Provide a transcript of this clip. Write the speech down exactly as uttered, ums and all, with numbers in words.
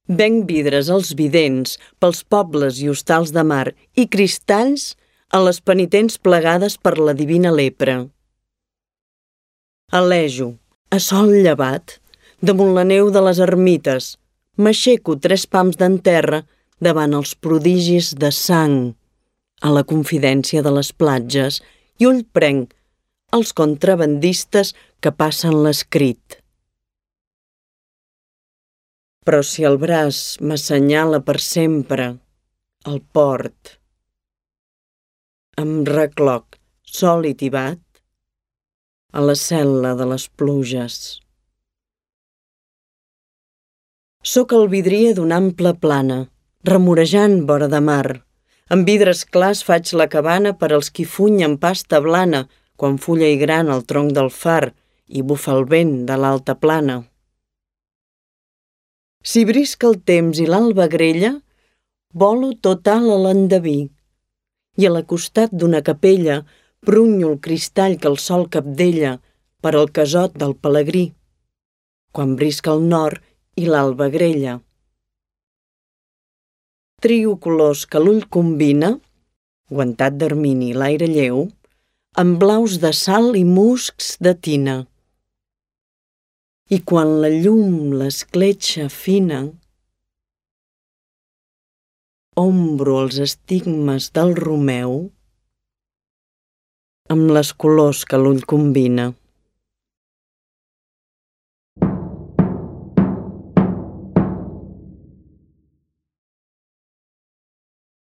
Venc vidres als vidents, pels pobles i hostals de mar, i cristalls a les penitents plegades per la divina lepra. Alejo, a sol llevat, damunt la neu de les ermites, m'aixeco tres pams d'enterra davant els prodigis de sang, a la confidència de les platges, i ull prenc els contrabandistes que passen l'escrit. Però si el braç m'assenyala per sempre el port, em recloc, sol i tibat, a la cel·la de les pluges. Soc el vidrier d'una ampla plana, remorejant vora de mar. Amb vidres clars faig la cabana per als qui funyen pasta blana quan fulla i grana el tronc del far i bufa el vent de l'alta plana. Si brisca el temps i l'alba grella, volo tot alt a l'endeví i a la costat d'una capella prunyo el cristall que el sol capdella per al casot del pelegrí, quan brisca el nord i l'alba grella. Trio colors que l'ull combina, guantat d'ermini i l'aire lleu, amb blaus de sal i muscs de tina. I quan la llum l'escletxa fina, ombro els estigmes del Romeu amb les colors que l'ull combina.